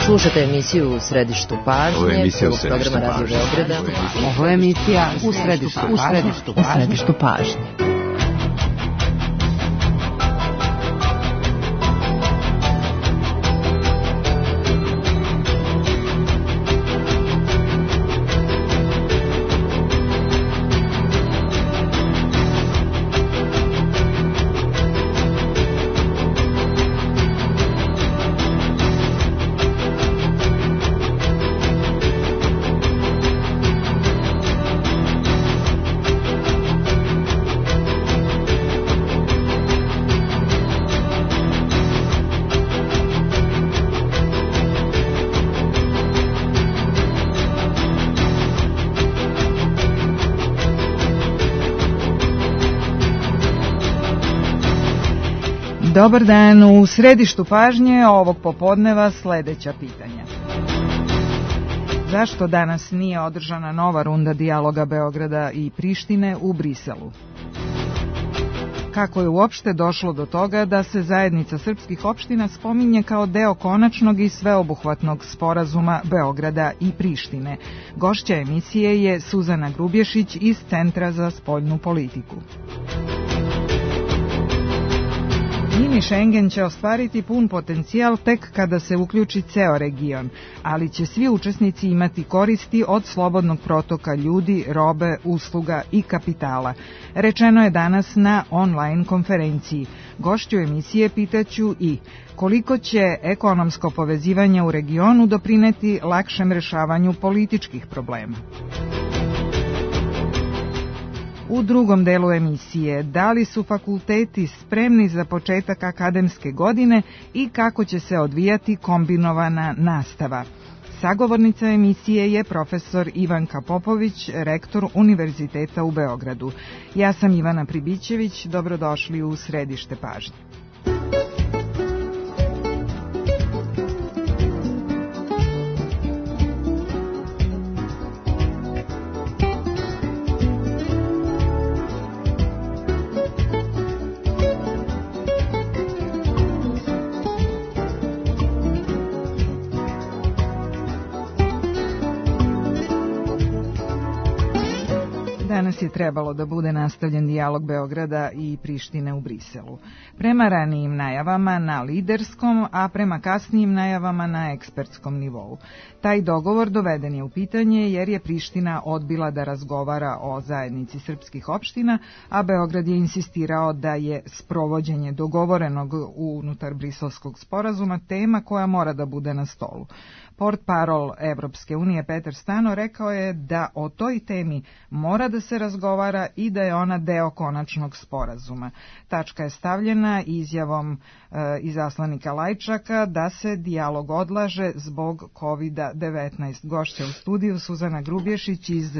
Slušate emisiju U središtu pažnje, prvog programa Radio Beograda. Ovo je emisija U središtu pažnje. Dobar dan, u središtu pažnje ovog popodneva sledeća pitanja. Zašto danas nije održana nova runda dijaloga Beograda i Prištine u Briselu? Kako je uopšte došlo do toga da se zajednica srpskih opština spominje kao deo konačnog i sveobuhvatnog sporazuma Beograda i Prištine? Gošća emisije je Suzana Grubješić iz Centra za spoljnu politiku. Mini Schengen će ostvariti pun potencijal tek kada se uključi ceo region, ali će svi učesnici imati koristi od slobodnog protoka ljudi, robe, usluga i kapitala. Rečeno je danas na online konferenciji. Gošću emisije pitaću i koliko će ekonomsko povezivanje u regionu doprineti lakšem rešavanju političkih problema. U drugom delu emisije, da li su fakulteti spremni za početak akademske godine i kako će se odvijati kombinovana nastava? Sagovornica emisije je profesor Ivanka Popović, rektor Univerziteta u Beogradu. Ja sam Ivana Pribićević, dobrodošli u središte pažnje. Danas je trebalo da bude nastavljen dijalog Beograda i Prištine u Briselu. Prema ranijim najavama na liderskom, a prema kasnijim najavama na ekspertskom nivou. Taj dogovor doveden je u pitanje jer je Priština odbila da razgovara o zajednici srpskih opština, a Beograd je insistirao da je sprovođenje dogovorenog unutar briselskog sporazuma tema koja mora da bude na stolu. Portparol Evropske unije Petar Stano rekao je da o toj temi mora da se razgovara i da je ona deo konačnog sporazuma. Tačka je stavljena izjavom izaslanika Lajčaka da se dijalog odlaže zbog COVID-19. Gošća u studiju Suzana Grubješić iz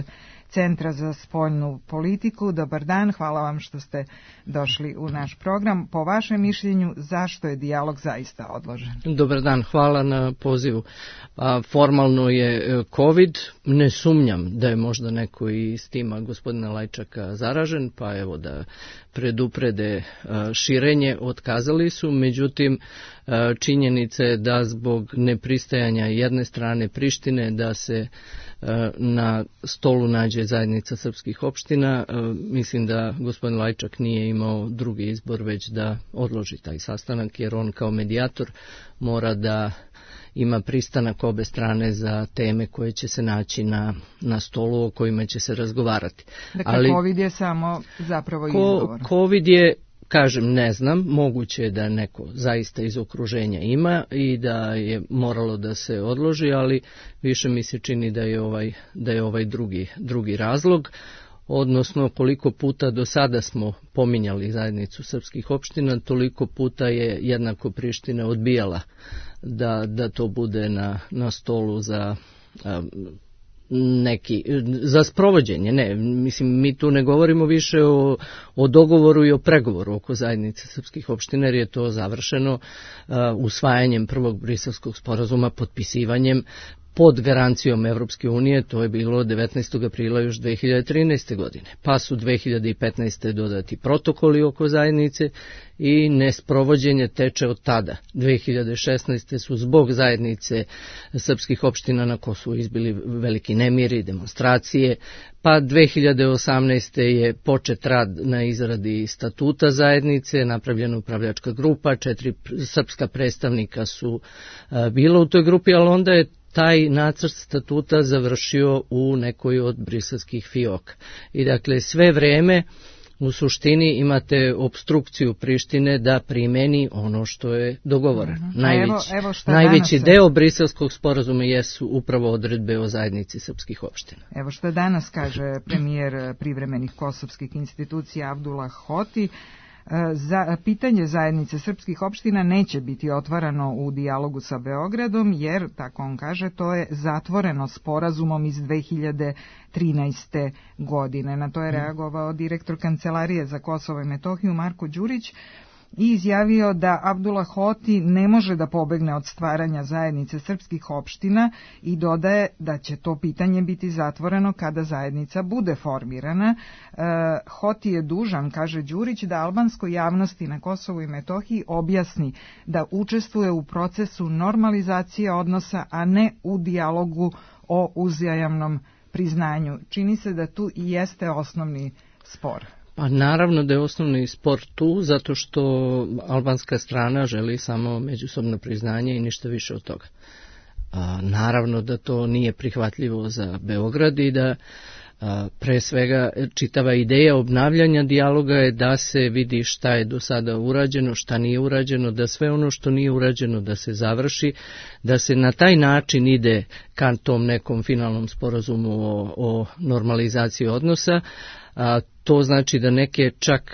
Centra za spoljnu politiku. Dobar dan, hvala vam što ste došli u naš program. Po vašem mišljenju, zašto je dijalog zaista odložen? Dobar dan, hvala na pozivu. Formalno je COVID, ne sumnjam da je možda neko iz tima gospodina Lajčaka zaražen, pa evo da preduprede širenje, otkazali su, međutim činjenica je da zbog nepristajanja jedne strane Prištine da se na stolu nađe zajednica srpskih opština, mislim da gospodin Lajčak nije imao drugi izbor već da odloži taj sastanak, jer on kao medijator mora da ima pristanak obe strane za teme koje će se naći na stolu o kojima će se razgovarati. Dakle, ali COVID je samo zapravo izgovor. COVID je, kažem, ne znam, moguće je da neko zaista iz okruženja ima i da je moralo da se odloži, ali više mi se čini da je ovaj drugi razlog, odnosno koliko puta do sada smo pominjali zajednicu srpskih opština, toliko puta je jednako Priština odbijala da to bude na stolu za sprovođenje. Ne, mislim, mi tu ne govorimo više o dogovoru i o pregovoru oko zajednice srpskih opština, jer je to završeno usvajanjem prvog briselskog sporazuma, potpisivanjem pod garancijom Evropske unije, to je bilo 19. aprila još 2013. godine. Pa su 2015. dodati protokoli oko zajednice i nesprovođenje teče od tada. 2016. su zbog zajednice srpskih opština na Kosovu izbili veliki nemiri, demonstracije, pa 2018. je počet rad na izradi statuta zajednice, napravljena upravljačka grupa, 4 srpska predstavnika su bila u toj grupi, ali onda je taj nacrt statuta završio u nekoj od briselskih fioka. I dakle sve vreme u suštini imate obstrukciju Prištine da primeni ono što je dogovoreno. Najveći deo briselskog sporazuma jesu upravo odredbe o zajednici srpskih opština. Evo što danas kaže premijer privremenih kosovskih institucija Abdullah Hoti. Pitanje zajednice srpskih opština neće biti otvarano u dijalogu sa Beogradom, jer, tako on kaže, to je zatvoreno sporazumom iz 2013. godine. Na to je reagovao direktor Kancelarije za Kosovo i Metohiju Marko Đurić i izjavio da Abdullah Hoti ne može da pobegne od stvaranja zajednice srpskih opština i dodaje da će to pitanje biti zatvoreno kada zajednica bude formirana. Hoti je dužan, kaže Đurić, da albanskoj javnosti na Kosovu i Metohiji objasni da učestvuje u procesu normalizacije odnosa, a ne u dijalogu o uzajamnom priznanju. Čini se da tu i jeste osnovni spor. Pa naravno da je osnovni spor tu, zato što albanska strana želi samo međusobno priznanje i ništa više od toga. Naravno da to nije prihvatljivo za Beograd i da pre svega čitava ideja obnavljanja dijaloga je da se vidi šta je do sada urađeno, šta nije urađeno, da sve ono što nije urađeno da se završi, da se na taj način ide ka tom nekom finalnom sporazumu o normalizaciji odnosa. To znači da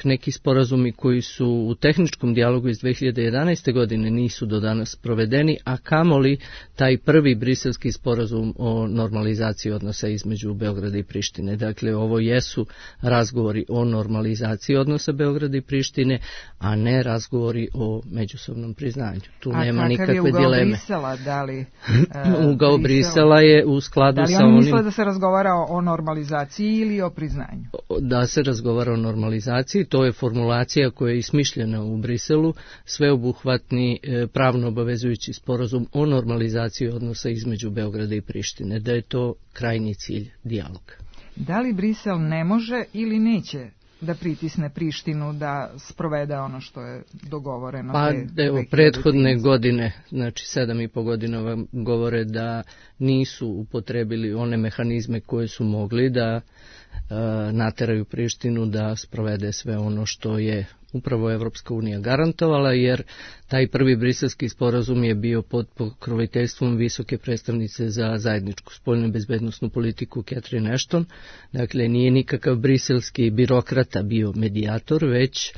neki sporazumi koji su u tehničkom dijalogu iz 2011. godine nisu do danas provedeni, a kamoli taj prvi briselski sporazum o normalizaciji odnosa između Beograda i Prištine. Dakle, ovo jesu razgovori o normalizaciji odnosa Beograda i Prištine, a ne razgovori o međusobnom priznanju. Tu nema nikakve dileme. A kakav je ugao Brisela? Ugao Brisela je u skladu sa onim... Da li oni misle da se razgovara o normalizaciji ili o priznanju? Da se razgovara o normalizaciji, to je formulacija koja je ismišljena u Briselu, sveobuhvatni pravno obavezujući sporazum o normalizaciji odnosa između Beograda i Prištine, da je to krajnji cilj dijaloga. Da li Brisel ne može ili neće da pritisne Prištinu da sprovede ono što je dogovoreno? Pa evo, prethodne godine, znači 7,5 godina vam govore da nisu upotrebili one mehanizme koje su mogli da nateraju Prištinu da sprovede sve ono što je upravo Evropska unija garantovala, jer taj prvi briselski sporazum je bio pod pokroviteljstvom visoke predstavnice za zajedničku spoljnu i bezbednosnu politiku Catherine Ashton. Dakle, nije nikakav briselski birokrata bio medijator, već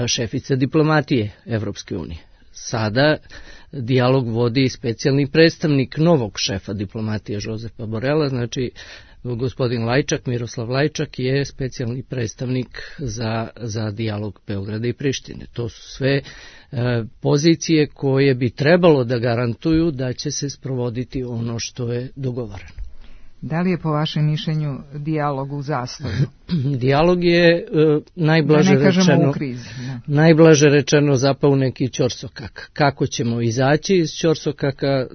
šefica diplomatije Evropske unije. Sada dijalog vodi specijalni predstavnik novog šefa diplomatije Josepa Borela, znači gospodin Lajčak, Miroslav Lajčak je specijalni predstavnik za dijalog Beograda i Prištine. To su sve pozicije koje bi trebalo da garantuju da će se sprovoditi ono što je dogovoreno. Da li je po vašem mišljenju dijalog u zastoju? Dijalog je najblaže rečeno zapao neki ćorsokak. Kako ćemo izaći iz ćorsokaka,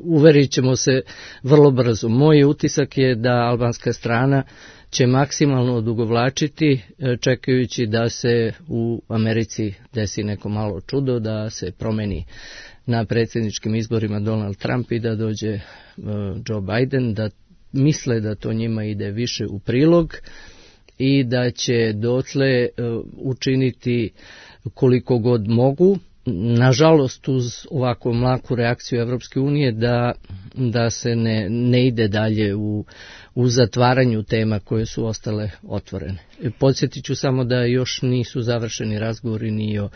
uverit ćemo se vrlo brzo. Moj utisak je da albanska strana će maksimalno odugovlačiti, čekajući da se u Americi desi neko malo čudo, da se promeni na predsjedničkim izborima Donald Trump i da dođe Joe Biden, da misle da to njima ide više u prilog i da će dotle učiniti koliko god mogu. Nažalost, uz ovakvu mlaku reakciju Evropske unije da se ne ide dalje u zatvaranju tema koje su ostale otvorene. Podsjetit ću samo da još nisu završeni razgovori ni o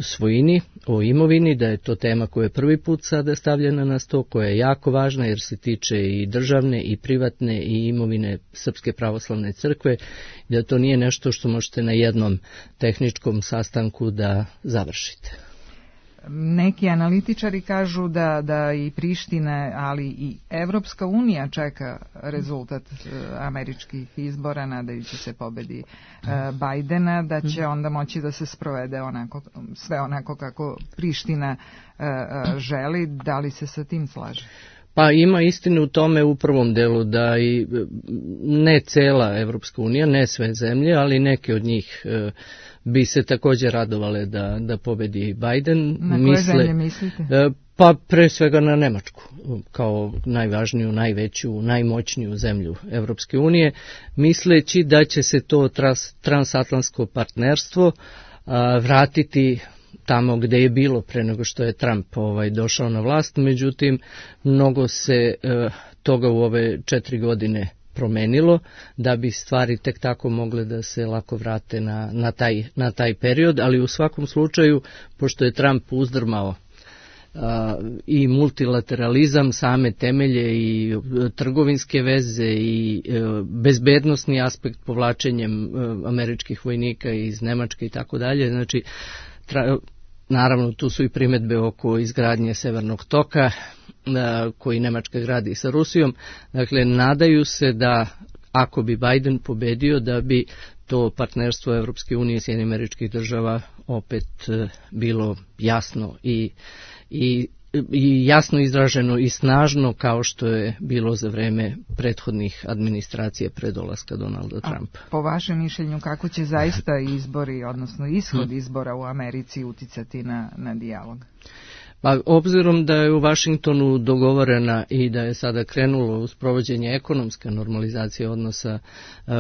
svojini, o imovini, da je to tema koja je prvi put sada stavljena na sto, koja je jako važna jer se tiče i državne i privatne i imovine Srpske pravoslavne crkve, da to nije nešto što možete na jednom tehničkom sastanku da završite. Neki analitičari kažu da i Priština, ali i Evropska unija čeka rezultat američkih izbora, nadajući se pobedi Bajdena, da će onda moći da se sprovede sve onako kako Priština želi. Da li se sa tim slaže? Pa ima istine u tome u prvom delu da i ne cela Evropska unija, ne sve zemlje, ali neke od njih bi se također radovale da pobedi Biden. Na koje zemlje mislite? Pa pre svega na Nemačku, kao najvažniju, najveću, najmoćniju zemlju Evropske unije, misleći da će se to transatlantsko partnerstvo vratiti tamo gde je bilo pre nego što je Trump došao na vlast. Međutim, mnogo se toga u ove 4 godine promenilo da bi stvari tek tako mogle da se lako vrate na taj period, ali u svakom slučaju, pošto je Trump uzdrmao i multilateralizam, same temelje i trgovinske veze i bezbednosni aspekt povlačenjem američkih vojnika iz Nemačke i tako dalje, znači naravno tu su i primedbe oko izgradnje Severnog toka koji Nemačka gradi sa Rusijom. Dakle, nadaju se da ako bi Biden pobedio, da bi to partnerstvo Evropske unije i Sjedinjenih Američkih Država opet bilo jasno i jasno izraženo i snažno kao što je bilo za vreme prethodnih administracije pre dolaska Donalda Trumpa. Po vašem mišljenju, kako će zaista izbori, odnosno ishod izbora u Americi uticati na dijalog? Pa, obzirom da je u Vašingtonu dogovorena i da je sada krenulo u sprovođenje ekonomska normalizacija odnosa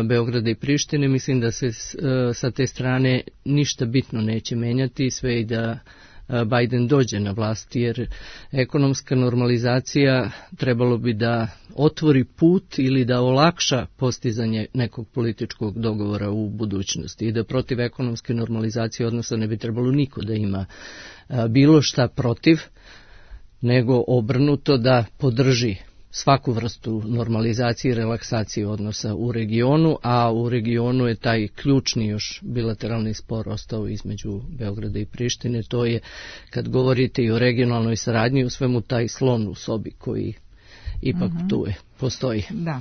Beograda i Prištine, mislim da se sa te strane ništa bitno neće menjati, sve i da Biden dođe na vlast, jer ekonomska normalizacija trebalo bi da otvori put ili da olakša postizanje nekog političkog dogovora u budućnosti i da protiv ekonomske normalizacije odnosa ne bi trebalo niko da ima bilo šta protiv, nego obrnuto da podrži svaku vrstu normalizacije i relaksacije odnosa u regionu, a u regionu je taj ključni još bilateralni spor ostao između Beograda i Prištine. To je, kad govorite i o regionalnoj saradnji, u svemu taj slon u sobi koji ipak tu postoji. Da.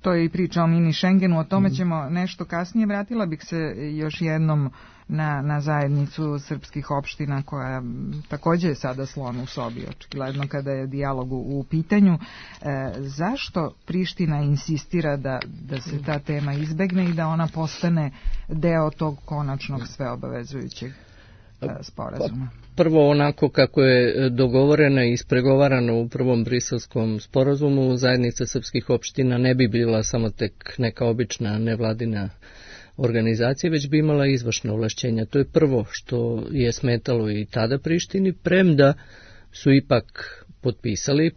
To je i priča o mini Schengenu, o tome ćemo nešto kasnije. Vratila bih se još jednom na zajednicu srpskih opština koja također je sada slon u sobi, očigledno kada je dijalog u pitanju. Zašto Priština insistira da se ta tema izbegne i da ona postane deo tog konačnog sveobavezujućeg sporazuma? Prvo, onako kako je dogovoreno i ispregovarano u prvom briselskom sporazumu, zajednica srpskih opština ne bi bila samo tek neka obična nevladina organizacija, već bi imala izvršna ovlašćenja. To je prvo što je smetalo i tada Prištini, premda su ipak potpisali,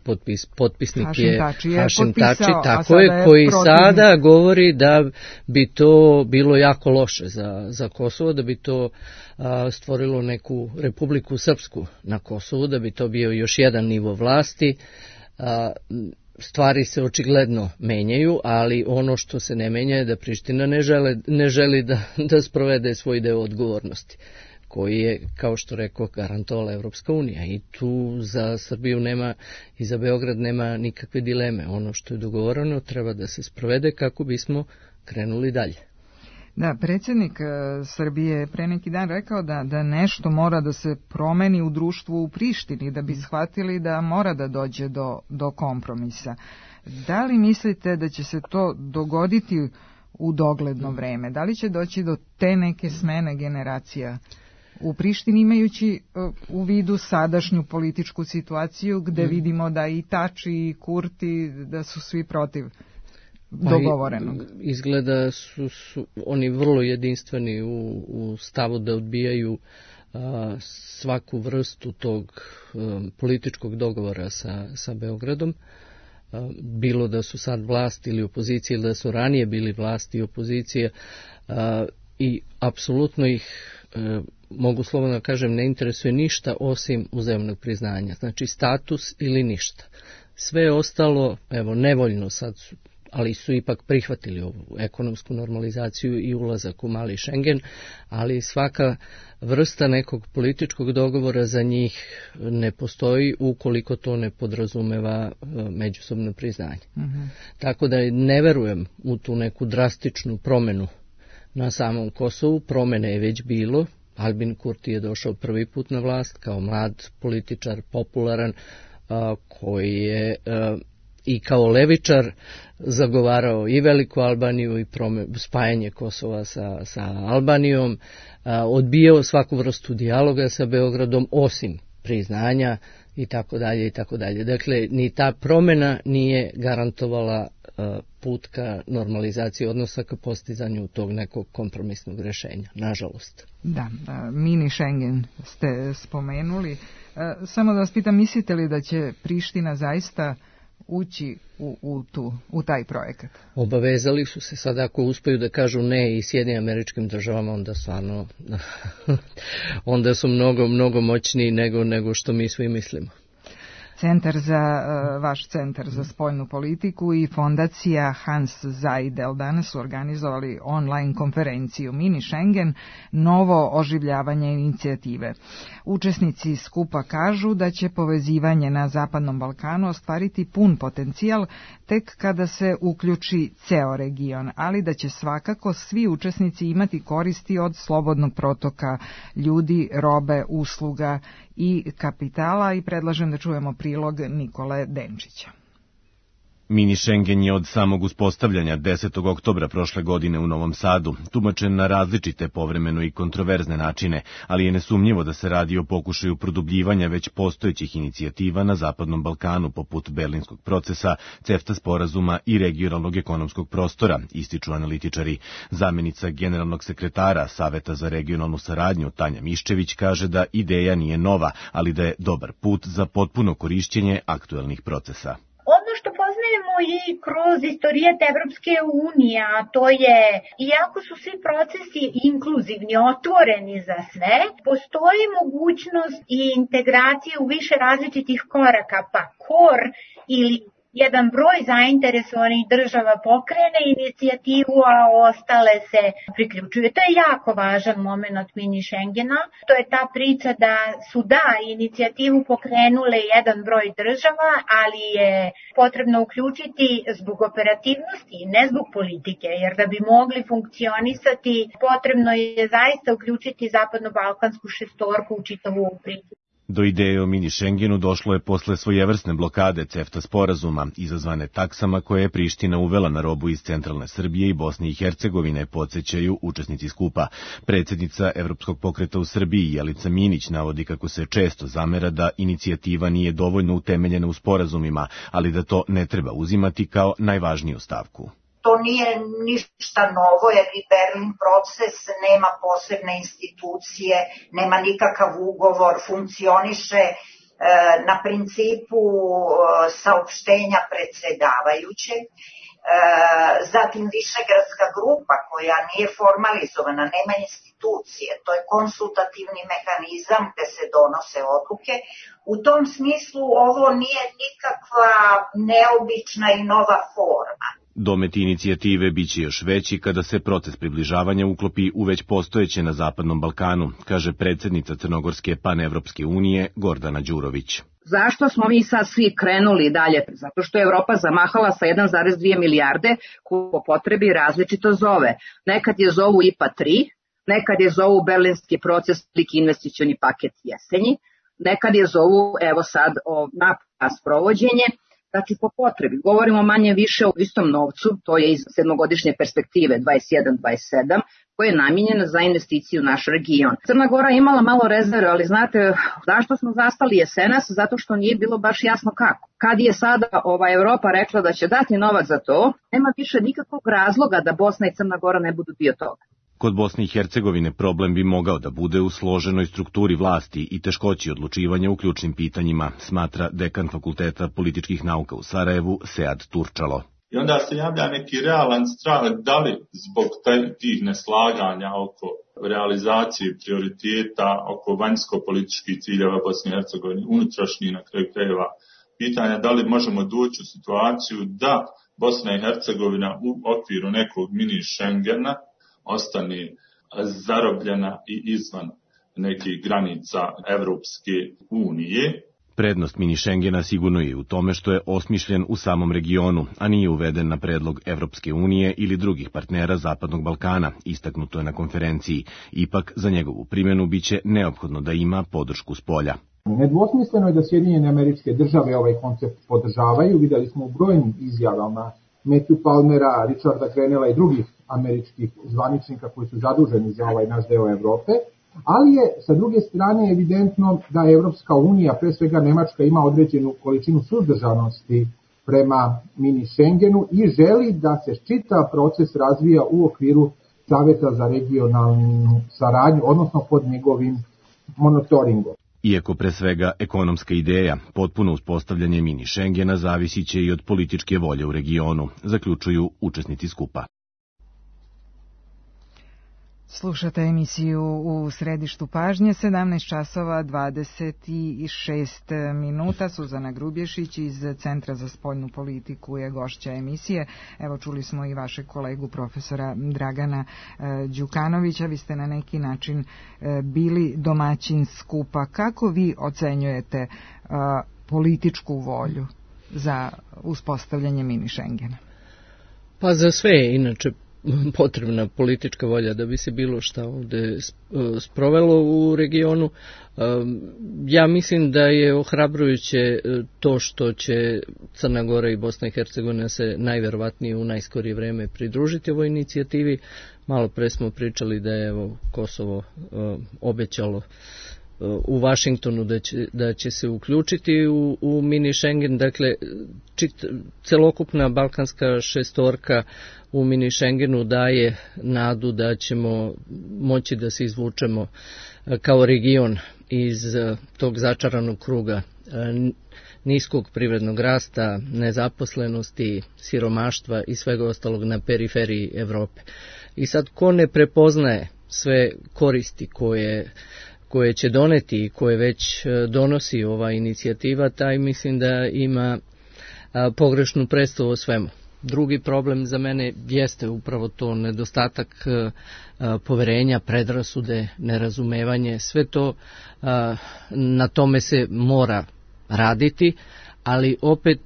potpisnik je Hašim Tači, tako je, koji sada govori da bi to bilo jako loše za Kosovo, da bi to stvorilo neku Republiku Srpsku na Kosovu, da bi to bio još jedan nivo vlasti. Stvari se očigledno menjaju, ali ono što se ne menja je da Priština ne želi da sprovede svoj deo odgovornosti, koji je, kao što rekao, garantovala Evropska unija. I tu za Srbiju nema i za Beograd nema nikakve dileme. Ono što je dogovoreno treba da se sprovede kako bismo krenuli dalje. Da, predsjednik Srbije je pre neki dan rekao da nešto mora da se promeni u društvu u Prištini, da bi shvatili da mora da dođe do kompromisa. Da li mislite da će se to dogoditi u dogledno vreme? Da li će doći do te neke smene generacija u Prištini, imajući u vidu sadašnju političku situaciju gde vidimo da i Tači i Kurti da su svi protiv dogovorenog? Izgleda su oni vrlo jedinstveni u stavu da odbijaju svaku vrstu tog političkog dogovora sa Beogradom. Bilo da su sad vlast ili opozicija, ili da su ranije bili vlast i opozicija, i apsolutno ih, mogu slobodno kažem, ne interesuje ništa osim uzajamnog priznanja. Znači status ili ništa. Sve ostalo, evo, nevoljno sad ali su ipak prihvatili ovu ekonomsku normalizaciju i ulazak u mali Schengen, ali svaka vrsta nekog političkog dogovora za njih ne postoji ukoliko to ne podrazumeva međusobno priznanje. Tako da ne verujem u tu neku drastičnu promenu na samom Kosovu. Promene je već bilo. Albin Kurti je došao prvi put na vlast kao mlad političar, popularan, koji je i kao levičar zagovarao i Veliku Albaniju i spajanje Kosova sa Albanijom, odbijao svaku vrstu dijaloga sa Beogradom osim priznanja i tako dalje i tako dalje. Dakle, ni ta promjena nije garantovala put ka normalizaciji odnosa, ka postizanju tog nekog kompromisnog rješenja, nažalost. Da, mini Schengen ste spomenuli. Samo da vas pitam, mislite li da će Priština zaista ući u taj projekat? Obavezali su se, sad ako uspeju da kažu ne i Sjedinjenim Američkim Državama, onda stvarno onda su mnogo moćniji nego što mi svi mislimo. Vaš centar za spoljnu politiku i fondacija Hans Seidel danas su organizovali online konferenciju Mini Schengen, novo oživljavanje inicijative. Učesnici skupa kažu da će povezivanje na Zapadnom Balkanu ostvariti pun potencijal tek kada se uključi ceo region, ali da će svakako svi učesnici imati koristi od slobodnog protoka ljudi, robe, usluga i kapitala, i predlažem da čujemo prilog Nikole Denčića. Mini Schengen je od samog uspostavljanja 10. oktobra prošle godine u Novom Sadu tumačen na različite, povremeno i kontroverzne načine, ali je nesumnjivo da se radi o pokušaju produbljivanja već postojećih inicijativa na Zapadnom Balkanu, poput Berlinskog procesa, CEFTA sporazuma i regionalnog ekonomskog prostora, ističu analitičari. Zamenica generalnog sekretara Saveta za regionalnu saradnju Tanja Miščević kaže da ideja nije nova, ali da je dobar put za potpuno korišćenje aktuelnih procesa. Ono što poznajemo i kroz istorijat Evropske unije, a to je, iako su svi procesi inkluzivni, otvoreni za sve, postoji mogućnost i integracije u više različitih koraka, pa KOR ili jedan broj zainteresovanih država pokrene inicijativu, a ostale se priključuju. To je jako važan moment mini Schengena. To je ta priča da su inicijativu pokrenule jedan broj država, ali je potrebno uključiti zbog operativnosti, ne zbog politike, jer da bi mogli funkcionisati, potrebno je zaista uključiti zapadno-balkansku šestorku u čitavu priču. Do ideje o mini Schengenu došlo je posle svojevrsne blokade CEFTA sporazuma, izazvane taksama koje je Priština uvela na robu iz centralne Srbije i Bosne i Hercegovine, podsjećaju učesnici skupa. Predsjednica Evropskog pokreta u Srbiji, Jelica Minić, navodi kako se često zamera da inicijativa nije dovoljno utemeljena u sporazumima, ali da to ne treba uzimati kao najvažniju stavku. To nije ništa novo, jer i Berlin proces nema posebne institucije, nema nikakav ugovor, funkcioniše na principu saopštenja predsjedavajuće. Zatim Višegradska grupa koja nije formalizovana, nema institucije, to je konsultativni mehanizam gde se donose odluke. U tom smislu ovo nije nikakva neobična i nova forma. Domet inicijative biće još veći kada se proces približavanja uklopi u već postojeće na Zapadnom Balkanu, kaže predsjednica Crnogorske panevropske unije Gordana Đurović. Zašto smo mi sad svi krenuli dalje? Zato što je Evropa zamahala sa 1,2 milijarde koju po potrebi različito zove. Nekad je zovu IPA 3, nekad je zovu Berlinski proces, veliki investicioni paket jesenji, nekad je zovu, evo sad, na sprovođenje. Znači po potrebi, govorimo manje više o istom novcu, to je iz sedmogodišnje perspektive 21-27, koja je namijenjena za investiciju u naš region. Crna Gora je imala malo rezerve, ali znate zašto smo zastali jesenas? Zato što nije bilo baš jasno kako. Kad je sada Evropa rekla da će dati novac za to, nema više nikakvog razloga da Bosna i Crna Gora ne budu dio toga. Kod Bosne i Hercegovine problem bi mogao da bude u složenoj strukturi vlasti i teškoći odlučivanja u ključnim pitanjima, smatra dekan Fakulteta političkih nauka u Sarajevu, Sead Turčalo. I onda se javlja neki realan strah da li zbog tih neslaganja oko realizacije prioriteta, oko vanjsko-političkih ciljeva Bosne i Hercegovine, unutrašnjih na kraju krajeva pitanja, da li možemo doći u situaciju da Bosna i Hercegovina u okviru nekog mini Schengena ostane zarobljena i izvan nekih granica Evropske unije. Prednost mini Schengena sigurno je u tome što je osmišljen u samom regionu, a nije uveden na predlog Evropske unije ili drugih partnera Zapadnog Balkana, istaknuto je na konferenciji. Ipak, za njegovu primjenu biće neophodno da ima podršku spolja. Nedvosmisleno je da Sjedinjene Američke Države ovaj koncept podržavaju. Videli smo u brojnim izjavama Matthew Palmera, Richarda Grenella i drugih američkih zvaničnika koji su zaduženi za ovaj naš deo Evrope. Ali je, sa druge strane, evidentno da Evropska unija, pre svega Nemačka, ima određenu količinu suzdržanosti prema mini Schengenu i želi da se čitav proces razvija u okviru Saveta za regionalnu saradnju, odnosno pod njegovim monitoringom. Iako pre svega ekonomska ideja, potpuno uspostavljanje mini Schengena zavisit će i od političke volje u regionu, zaključuju učesnici skupa. Slušate emisiju u središtu pažnje, 17 časova 26 minuta. Suzana Grubješić iz Centra za spoljnu politiku je gošća emisije. Evo, čuli smo i vašeg kolegu profesora Dragana Đukanovića. Vi ste na neki način bili domaćin skupa. Kako vi ocenjujete političku volju za uspostavljanje mini Schengena? Pa za sve, inače, potrebna politička volja da bi se bilo šta ovde sprovelo u regionu. Ja mislim da je ohrabrujuće to što će Crna Gora i Bosna i Hercegovina se najverovatnije u najskorije vreme pridružiti ovoj inicijativi. Malo pre smo pričali da je Kosovo obećalo u Vašingtonu da će se uključiti u mini Schengen. Dakle, celokupna balkanska šestorka u mini Schengenu daje nadu da ćemo moći da se izvučemo kao region iz tog začaranog kruga niskog privrednog rasta, nezaposlenosti, siromaštva i svega ostalog na periferiji Evrope. I sad, ko ne prepoznaje sve koristi koje će doneti i koje već donosi ova inicijativa, taj mislim da ima pogrešnu predstavu o svemu. Drugi problem za mene jeste upravo to nedostatak poverenja, predrasude, nerazumevanje. Sve to, na tome se mora raditi, ali opet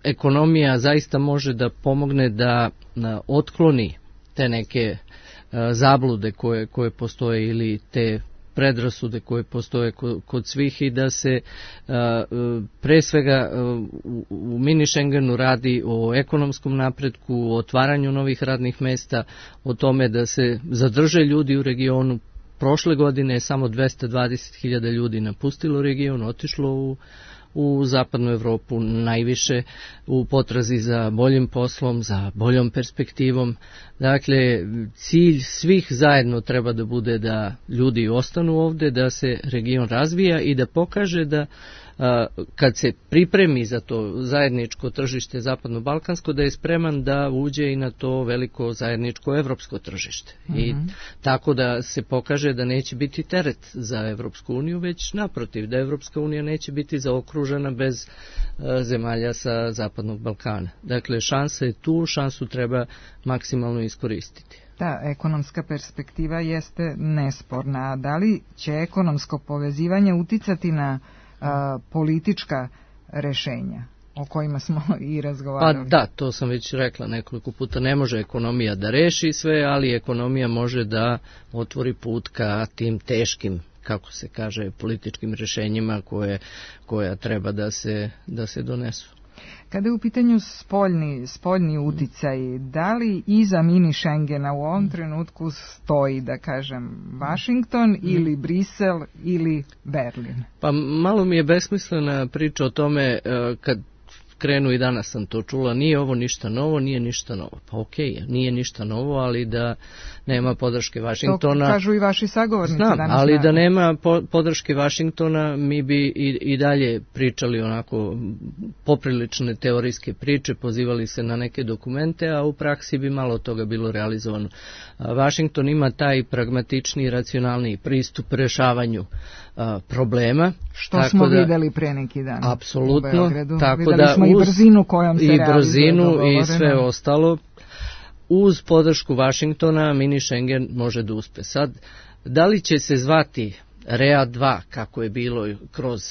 ekonomija zaista može da pomogne da otkloni te neke zablude koje postoje ili te predrasude koje postoje kod svih i da se pre svega u mini Schengenu radi o ekonomskom napretku, o otvaranju novih radnih mesta, o tome da se zadrže ljudi u regionu. Prošle godine je samo 220.000 ljudi napustilo region, otišlo u zapadnu Evropu, najviše u potrazi za boljim poslom, za boljom perspektivom. Dakle, cilj svih zajedno treba da bude da ljudi ostanu ovde, da se region razvija i da pokaže da kad se pripremi za to zajedničko tržište zapadno-balkansko, da je spreman da uđe i na to veliko zajedničko evropsko tržište. I tako da se pokaže da neće biti teret za Evropsku uniju, već naprotiv, da Evropska unija neće biti zaokružena bez zemalja sa zapadnog Balkana. Dakle, šansa je tu, šansu treba maksimalno iskoristiti. Da, ekonomska perspektiva jeste nesporna. Da li će ekonomsko povezivanje uticati na politička rešenja o kojima smo i razgovarali? Pa da, to sam već rekla nekoliko puta. Ne može ekonomija da reši sve, ali ekonomija može da otvori put ka tim teškim, kako se kaže, političkim rešenjima koja treba da se donesu. Kada je u pitanju spoljni uticaj, da li iza mini Schengena u ovom trenutku stoji, da kažem, Vašington ili Brisel ili Berlin? Pa malo mi je besmislena priča o tome kad krenu, i danas sam to čula, nije ovo ništa novo, nije ništa novo. Pa okej, nije ništa novo, ali da nema podrške Vašingtona. To kažu i vaši sagovornici. Znam, ali da nema podrške Vašingtona, mi bi i dalje pričali onako poprilične teorijske priče, pozivali se na neke dokumente, a u praksi bi malo toga bilo realizovano. Vašington ima taj pragmatični, racionalni pristup rešavanju problema, Što smo videli pre neki dan. Apsolutno. U Beogradu. Videli smo i brzinu kojom se realizuje. I brzinu i sve ostalo. Uz podršku Vašingtona mini Schengen može da uspe. Sad, da li će se zvati REA 2, kako je bilo kroz,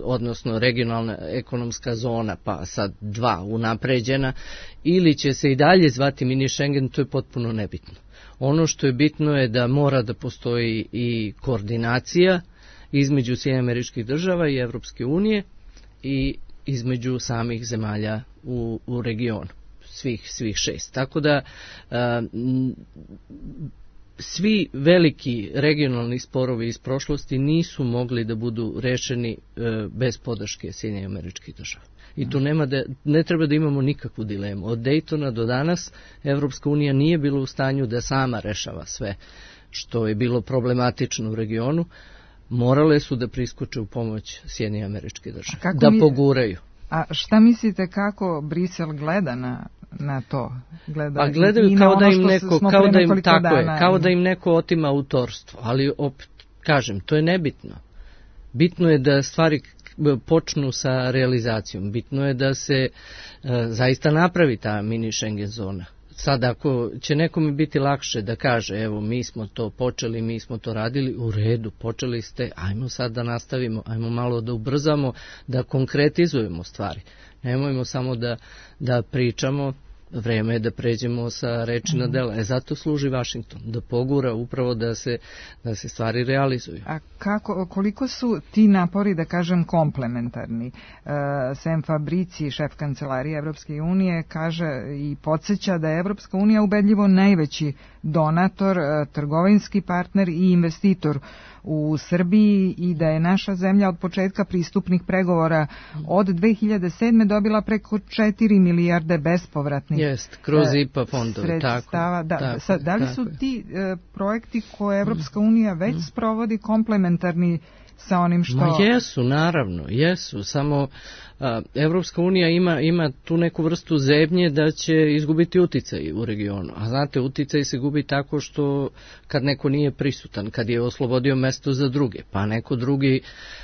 odnosno regionalna ekonomska zona, pa sad 2 unapređena, ili će se i dalje zvati mini Schengen, to je potpuno nebitno. Ono što je bitno je da mora da postoji i koordinacija između Sjedinjenih Američkih Država i Evropske unije i između samih zemalja u regionu, svih 6. Tako da svi veliki regionalni sporovi iz prošlosti nisu mogli da budu rešeni bez podrške Sjedinjenih Američkih Država. I tu ne treba da imamo nikakvu dilemu. Od Daytona do danas Evropska unija nije bila u stanju da sama rešava sve što je bilo problematično u regionu. Morale su da priskoče u pomoć Sjedinjenih Američkih Država, da poguraju. A šta mislite kako Brisel gleda na to? Pa gledaju kao da im neko otima autorstvo, ali opet kažem, to je nebitno. Bitno je da stvari počnu sa realizacijom, bitno je da se zaista napravi ta mini Schengen zona. Sad ako će nekome biti lakše da kaže, evo mi smo to počeli, mi smo to radili, u redu, počeli ste, ajmo sad da nastavimo, ajmo malo da ubrzamo, da konkretizujemo stvari. Nemojmo samo da pričamo, vreme je da pređemo sa reči na dela. Zato služi Vašington, da pogura upravo da se stvari realizuju. A koliko su ti napori, da kažem, komplementarni? Sam Fabrici, šef kancelarije Evropske unije, kaže i podsjeća da je Evropska unija ubedljivo najveći donator, trgovinski partner i investitor u Srbiji i da je naša zemlja od početka pristupnih pregovora od 2007. dobila preko 4 milijarde bespovratnih kroz IPA fondove, sredstava. Da li su ti projekti koje Evropska unija već sprovodi komplementarni sa onim što... Jesu, naravno, jesu, samo Evropska unija ima tu neku vrstu zebnje da će izgubiti uticaj u regionu, a znate, uticaj se gubi tako što kad neko nije prisutan, kad je oslobodio mesto za druge, pa neko drugi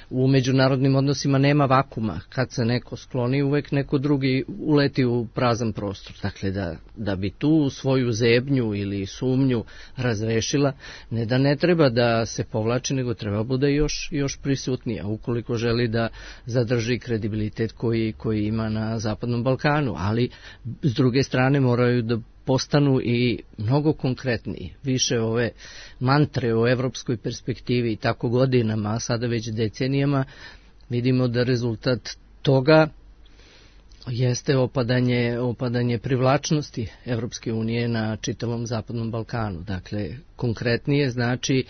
u međunarodnim odnosima nema vakuma, kad se neko skloni uvek neko drugi uleti u prazan prostor, dakle da bi tu svoju zebnju ili sumnju razrešila, ne treba da se povlači, nego treba bude još prisutnija, ukoliko želi da zadrži kredibilitet koji ima na Zapadnom Balkanu, ali s druge strane moraju da postanu i mnogo konkretniji. Više ove mantre o evropskoj perspektivi i tako godinama, a sada već decenijama, vidimo da rezultat toga jeste opadanje privlačnosti Evropske unije na čitavom Zapadnom Balkanu. Dakle, konkretnije znači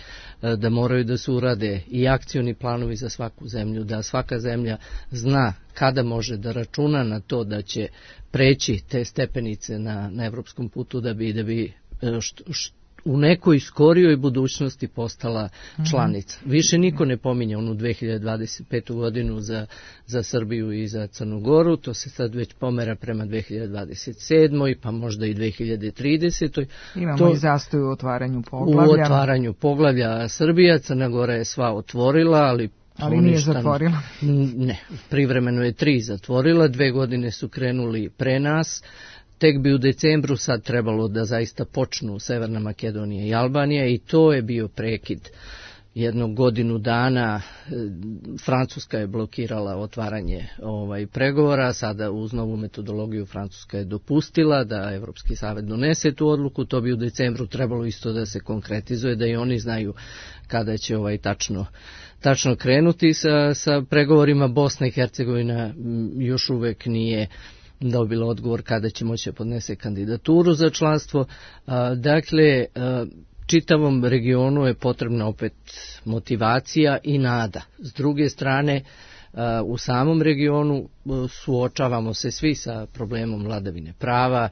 da moraju da se urade i akcioni planovi za svaku zemlju, da svaka zemlja zna kada može da računa na to da će preći te stepenice na evropskom putu da bi u nekoj skorijoj budućnosti postala članica. Više niko ne pominje onu 2025. godinu za Srbiju i za Crnu Goru, to se sad već pomera prema 2027. pa možda i 2030. Imamo i zastoj u otvaranju poglavlja. U otvaranju poglavlja Srbija, Crna Gora je sva otvorila, ali nije zatvorila. Ne, privremeno je 3 zatvorila, 2 godine su krenuli pre nas. Tek bi u decembru sad trebalo da zaista počnu Severna Makedonija i Albanija i to je bio prekid godinu dana. Francuska je blokirala otvaranje pregovora, sada uz novu metodologiju Francuska je dopustila da Evropski savet donese tu odluku, to bi u decembru trebalo isto da se konkretizuje, da i oni znaju kada će tačno krenuti sa pregovorima. Bosna i Hercegovina još uvek nije dobila odgovor kada će moći podnese kandidaturu za članstvo. Dakle, čitavom regionu je potrebna opet motivacija i nada. S druge strane, u samom regionu suočavamo se svi sa problemom vladavine prava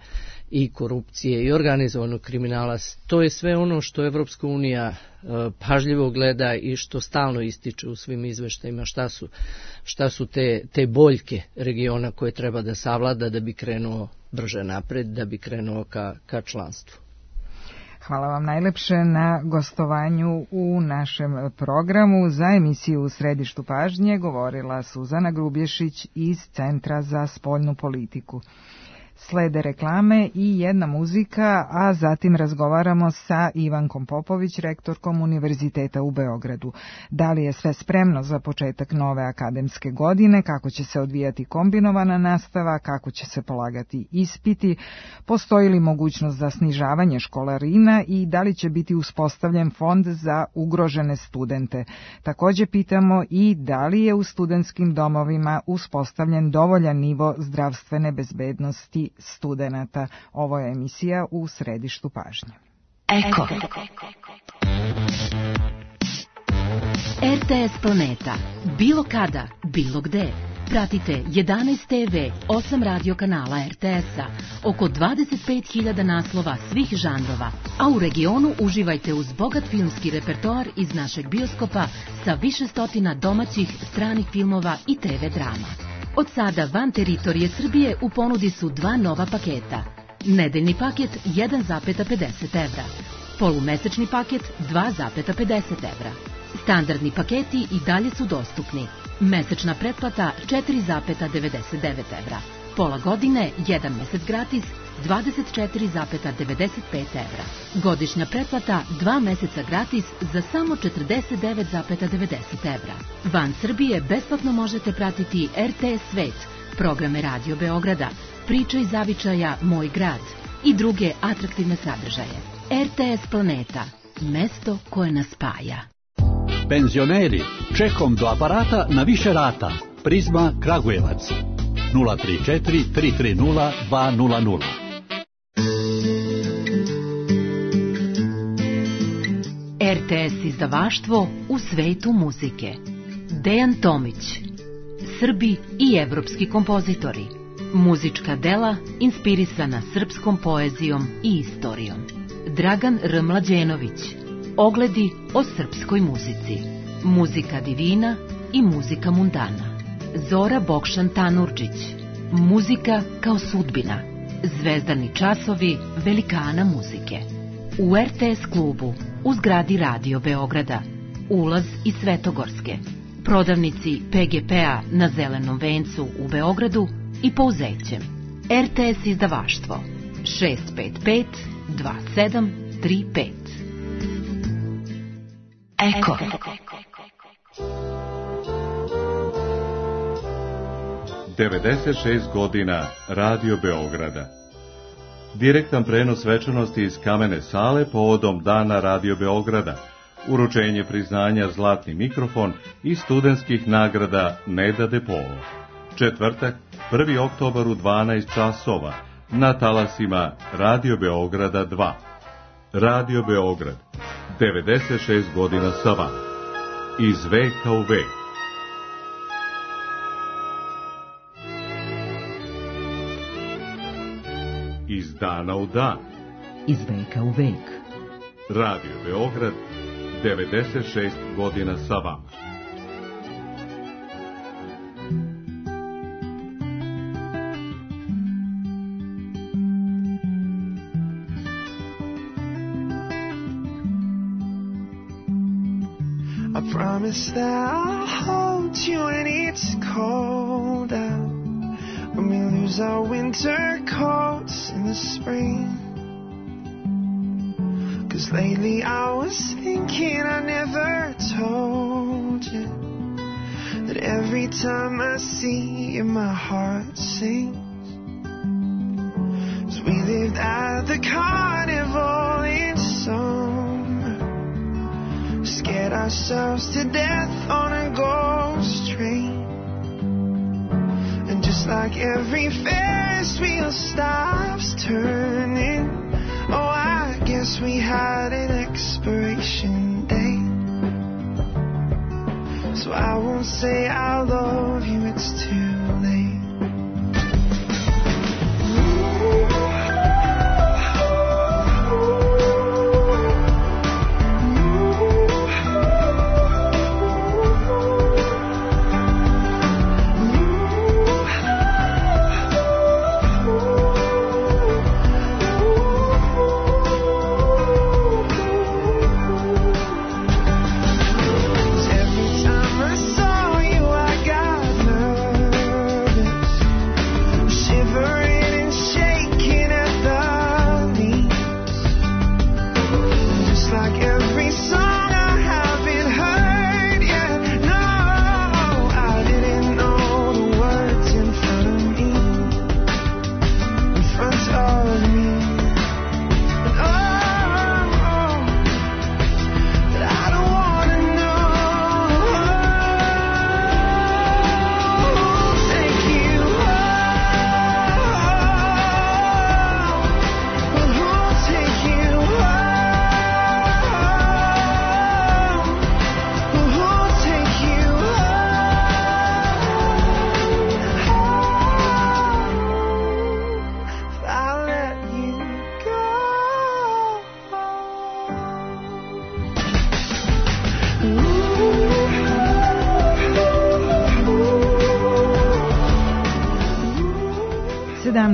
i korupcije i organizovanog kriminala. To je sve ono što Evropska unija pažljivo gleda i što stalno ističe u svim izveštajima, šta su te boljke regiona koje treba da savlada da bi krenuo brže napred, da bi krenuo ka članstvu. Hvala vam najlepše na gostovanju u našem programu. Za emisiju U središtu pažnje govorila Suzana Grubješić iz Centra za spoljnu politiku. Slede reklame i jedna muzika, a zatim razgovaramo sa Ivankom Popović, rektorkom Univerziteta u Beogradu. Da li je sve spremno za početak nove akademske godine, kako će se odvijati kombinovana nastava, kako će se polagati ispiti, postoji li mogućnost za snižavanje školarina i da li će biti uspostavljen fond za ugrožene studente. Također pitamo i da li je u studentskim domovima uspostavljen dovoljan nivo zdravstvene bezbednosti studenata. Ovo je emisija U središtu pažnje. Eko. RTS Planeta. Bilo kada, bilo gde. Pratite 11 TV, 8 radio kanala RTS-a, oko 25.000 naslova svih žanrova, a u regionu uživajte uz bogat filmski repertoar iz našeg bioskopa sa više stotina domaćih, stranih filmova i TV drama. Od sada van teritorije Srbije u ponudi su dva nova paketa. Nedeljni paket 1,50 evra. Polumesečni paket 2,50 evra. Standardni paketi i dalje su dostupni. Mesečna pretplata 4,99 evra. Pola godine, 1 mesec gratis, 24,95 evra. Godišnja pretplata 2 meseca gratis za samo 49,90 evra. Van Srbije besplatno možete pratiti RTS Svet, programe Radio Beograda, Priče iz zavičaja Moj grad i druge atraktivne sadržaje. RTS Planeta, mesto koje nas spaja. Penzioneri, čekom do aparata na više rata. Prizma Kragujevac 034 330 200. RTS izdavaštvo u svetu muzike. Dejan Tomić. Srbi i evropski kompozitori. Muzička dela inspirisana srpskom poezijom i istorijom. Dragan R. Mlađenović. Ogledi o srpskoj muzici. Muzika divina i muzika mundana. Zora Bokšan Tanurđić. Muzika kao sudbina. Zvezdani časovi velikana muzike. U RTS klubu, u zgradi Radio Beograda. Ulaz iz Svetogorske. Prodavnici PGP-a na Zelenom vencu u Beogradu i Pouzećem. RTS izdavaštvo 655 2735. Eko. ...96 godina Radio Beograda. Direktan prenos svečanosti iz Kamene sale povodom Dana Radio Beograda, uručenje priznanja Zlatni mikrofon i studentskih nagrada Neda Depovo. Četvrtak, 1. oktobar u 12 časova, na talasima Radio Beograda 2. Radio Beograd, 96 godina sa vama. Iz veka u vek. Iz dana u dan. Iz veka u vek. Radio Beograd, 96 godina sa vama. I promise that I'll hold you when it's cold out, when we lose our winter coats in the spring. 'Cause lately I was thinking I never told you that every time I see you my heart sings. 'Cause we lived at the carnival in summer, scared ourselves to death on a ghost train. And just like every Ferris wheel stops turning, oh, I guess we had an expiration date. So I won't say I love you, it's too late.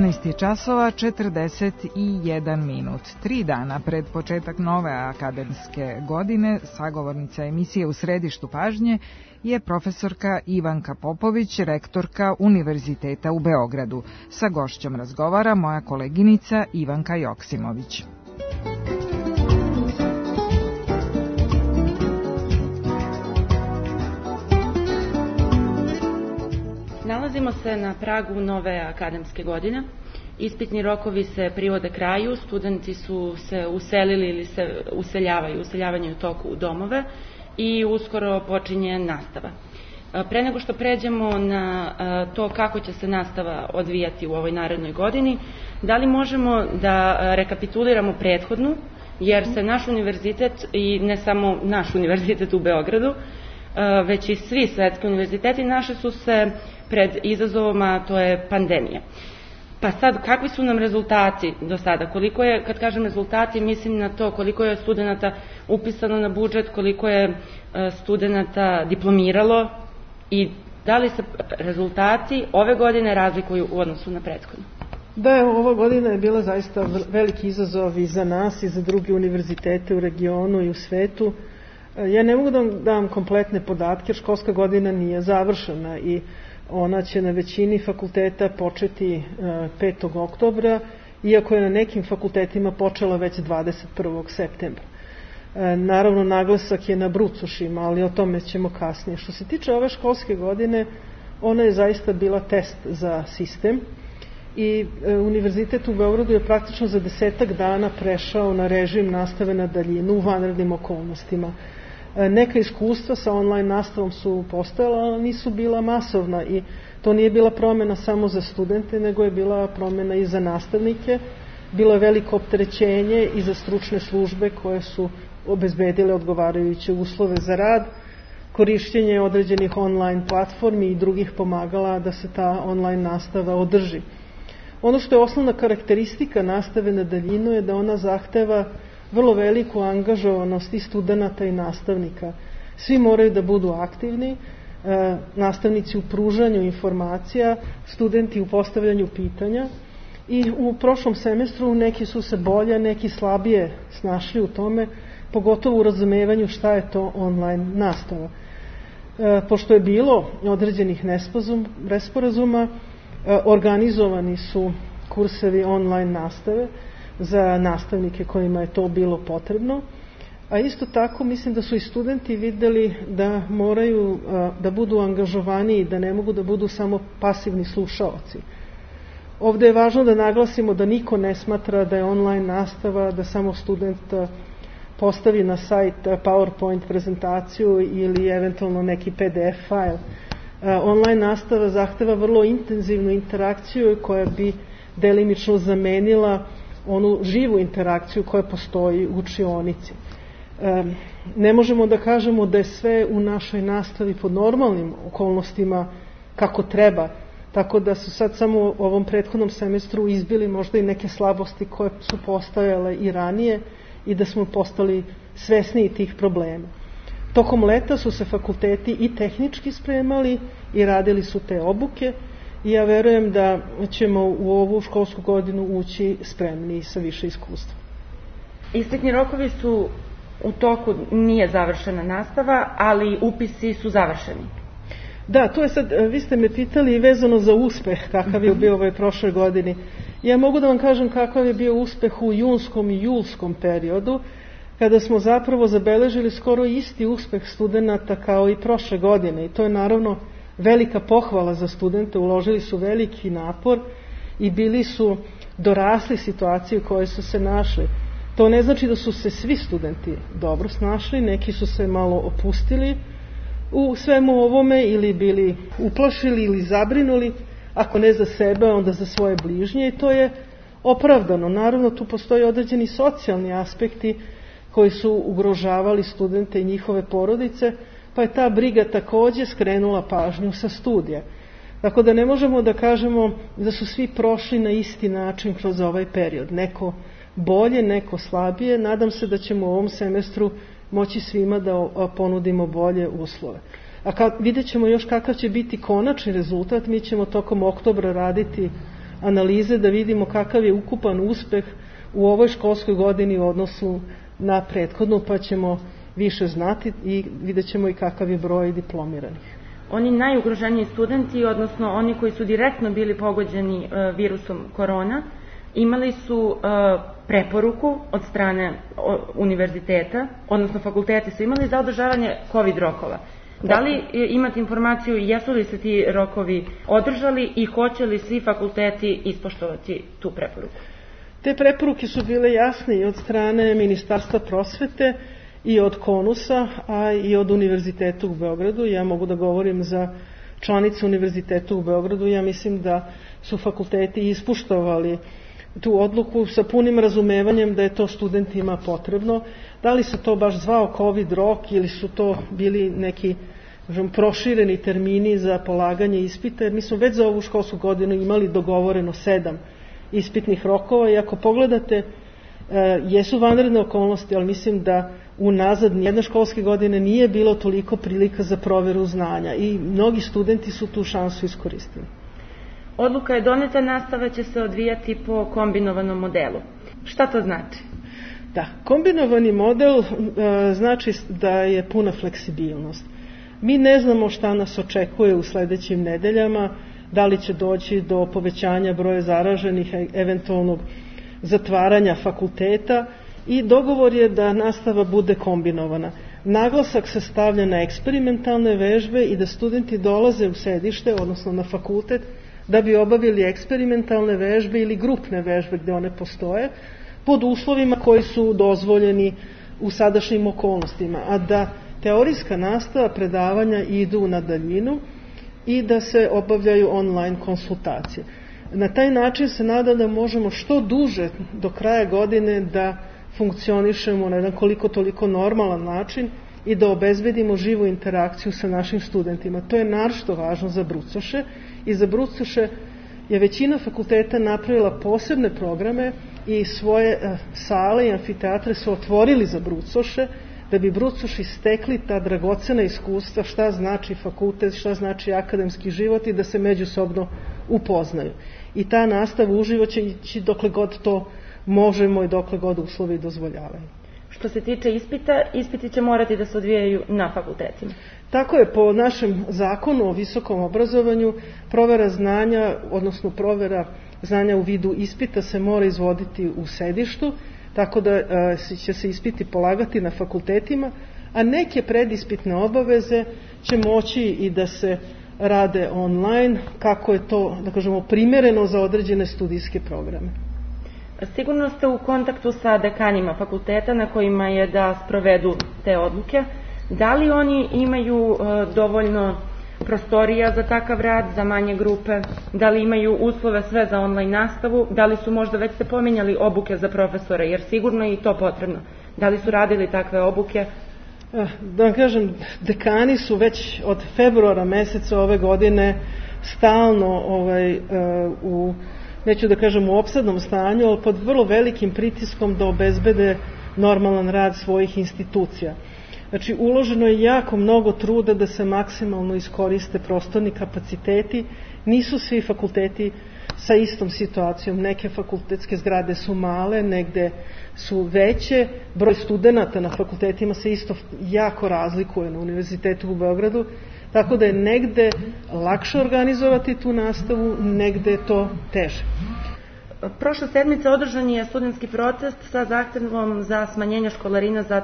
18 časova 41 minut. 3 dana pred početak nove akademske godine sagovornica emisije U središtu pažnje je profesorka Ivanka Popović, rektorka Univerziteta u Beogradu. Sa gošćom razgovara moja koleginica Ivanka Joksimović. Nalazimo se na pragu nove akademske godine. Ispitni rokovi se privode kraju, studenti su se uselili ili se useljavanje u toku u domove i uskoro počinje nastava. Pre nego što pređemo na to kako će se nastava odvijati u ovoj narednoj godini, da li možemo da rekapituliramo prethodnu, jer se naš univerzitet i ne samo naš univerzitet u Beogradu, već i svi svetski univerziteti naše su se pred izazovom, a to je pandemija. Pa sad, kakvi su nam rezultati do sada? Koliko je, kad kažem rezultati, mislim na to koliko je studenta upisano na budžet, koliko je studenta diplomiralo i da li se rezultati ove godine razlikuju u odnosu na prethodnu? Da, ova godina je bila zaista veliki izazov i za nas i za druge univerzitete u regionu i u svetu. Ja ne mogu da dam kompletne podatke, školska godina nije završena i ona će na većini fakulteta početi 5. oktobra, iako je na nekim fakultetima počela već 21. septembra. Naravno, naglasak je na brucošima, ali o tome ćemo kasnije. Što se tiče ove školske godine, ona je zaista bila test za sistem i Univerzitet u Beogradu je praktično za 10 dana prešao na režim nastave na daljinu u vanrednim okolnostima. Neka iskustva sa online nastavom su postojala, ali nisu bila masovna i to nije bila promena samo za studente, nego je bila promena i za nastavnike. Bilo je veliko opterećenje i za stručne službe koje su obezbedile odgovarajuće uslove za rad, korišćenje određenih online platformi i drugih pomagala da se ta online nastava održi. Ono što je osnovna karakteristika nastave na daljinu je da ona zahteva vrlo veliku angažovanost i studenta i nastavnika. Svi moraju da budu aktivni, nastavnici u pružanju informacija, studenti u postavljanju pitanja i u prošlom semestru neki su se bolje, neki slabije snašli u tome, pogotovo u razumevanju šta je to online nastava. Pošto je bilo određenih nesporazuma, organizovani su kursevi online nastave za nastavnike kojima je to bilo potrebno, a isto tako mislim da su i studenti videli da moraju da budu angažovaniji, da ne mogu da budu samo pasivni slušaoci. Ovde je važno da naglasimo da niko ne smatra da je online nastava, da samo student postavi na sajt PowerPoint prezentaciju ili eventualno neki PDF file. Online nastava zahteva vrlo intenzivnu interakciju koja bi delimično zamenila onu živu interakciju koja postoji u učionici. Ne možemo da kažemo da je sve u našoj nastavi pod normalnim okolnostima kako treba, tako da su sad samo u ovom prethodnom semestru izbili možda i neke slabosti koje su postojale i ranije i da smo postali svesniji tih problema. Tokom leta su se fakulteti i tehnički spremali i radili su te obuke i ja verujem da ćemo u ovu školsku godinu ući spremni sa više iskustva. Ispitni rokovi su u toku, nije završena nastava, ali upisi su završeni. Da, to je sad, vi ste me pitali vezano za uspeh, kakav je bio ovoj prošloj godini. Ja mogu da vam kažem kakav je bio uspeh u junskom i julskom periodu, kada smo zapravo zabeležili skoro isti uspeh studenta kao i prošle godine. I to je naravno velika pohvala za studente, uložili su veliki napor i bili su dorasli situaciji u kojoj su se našli. To ne znači da su se svi studenti dobro snašli, neki su se malo opustili u svemu ovome ili bili uplašili ili zabrinuli, ako ne za sebe, onda za svoje bližnje i to je opravdano. Naravno, tu postoji određeni socijalni aspekti koji su ugrožavali studente i njihove porodice, pa je ta briga takođe skrenula pažnju sa studija. Tako da ne možemo da kažemo da su svi prošli na isti način kroz ovaj period. Neko bolje, neko slabije. Nadam se da ćemo u ovom semestru moći svima da ponudimo bolje uslove. A vidjet ćemo još kakav će biti konačni rezultat. Mi ćemo tokom oktobra raditi analize da vidimo kakav je ukupan uspeh u ovoj školskoj godini u odnosu na prethodnu, pa ćemo više znati i vidjet ćemo i kakav je broj diplomiranih. Oni najugroženiji studenti, odnosno oni koji su direktno bili pogođeni virusom korona, imali su preporuku od strane univerziteta, odnosno fakulteti su imali za održavanje COVID rokova. Da li imate informaciju jesu li se ti rokovi održali i hoće li svi fakulteti ispoštovati tu preporuku? Te preporuke su bile jasne i od strane Ministarstva prosvete i od KONUS-a, a i od Univerziteta u Beogradu. Ja mogu da govorim za članice Univerziteta u Beogradu. Ja mislim da su fakulteti ispoštovali tu odluku sa punim razumevanjem da je to studentima potrebno. Da li se to baš zvao COVID rok ili su to bili neki prošireni termini za polaganje ispita, jer mi smo već za ovu školsku godinu imali dogovoreno 7 ispitnih rokova i ako pogledate jesu vanredne okolnosti, ali mislim da unazad nijedne školske godine nije bilo toliko prilika za proveru znanja i mnogi studenti su tu šansu iskoristili. Odluka je doneta, nastava će se odvijati po kombinovanom modelu. Šta to znači? Da, kombinovani model znači da je puna fleksibilnost. Mi ne znamo šta nas očekuje u sledećim nedeljama, da li će doći do povećanja broja zaraženih, eventualnog zatvaranja fakulteta i dogovor je da nastava bude kombinovana. Naglasak se stavlja na eksperimentalne vežbe i da studenti dolaze u sedište, odnosno na fakultet, da bi obavili eksperimentalne vežbe ili grupne vežbe gde one postoje, pod uslovima koji su dozvoljeni u sadašnjim okolnostima, a da teorijska nastava, predavanja idu na daljinu i da se obavljaju online konsultacije. Na taj način se nadam da možemo što duže do kraja godine da funkcionišemo na jedan koliko toliko normalan način i da obezbedimo živu interakciju sa našim studentima. To je naročito važno za brucoše i za brucoše je većina fakulteta napravila posebne programe i svoje sale i amfiteatre su otvorili za brucoše da bi brucoši stekli ta dragocena iskustva šta znači fakultet, šta znači akademski život i da se međusobno upoznaju. I ta nastava uživo će ići dokle god to možemo i dokle god uslovi dozvoljavaju. Što se tiče ispita, ispiti će morati da se odvijaju na fakultetima. Tako je, po našem zakonu o visokom obrazovanju provera znanja, odnosno provera znanja u vidu ispita se mora izvoditi u sedištu, tako da će se ispiti polagati na fakultetima, a neke predispitne obaveze će moći i da se rade online, kako je to, da kažemo, primereno za određene studijske programe. Sigurno ste u kontaktu sa dekanima fakulteta na kojima je da sprovedu te odluke. Da li oni imaju dovoljno prostorija za takav rad, za manje grupe? Da li imaju uslove sve za online nastavu? Da li su možda, već ste pominjali, obuke za profesore, jer sigurno je i to potrebno. Da li su radili takve obuke? Da vam kažem, dekani su već od februara meseca ove godine stalno u, neću da kažem u opsadnom stanju, ali pod vrlo velikim pritiskom da obezbede normalan rad svojih institucija. Znači, uloženo je jako mnogo truda da se maksimalno iskoriste prostorni kapaciteti. Nisu svi fakulteti sa istom situacijom. Neke fakultetske zgrade su male, negde su veće. Broj studenta na fakultetima se isto jako razlikuje na Univerzitetu u Beogradu. Tako da je negde lakše organizovati tu nastavu, negde je to teže. Prošle sedmice održan je studentski protest sa zahtevom za smanjenje školarina za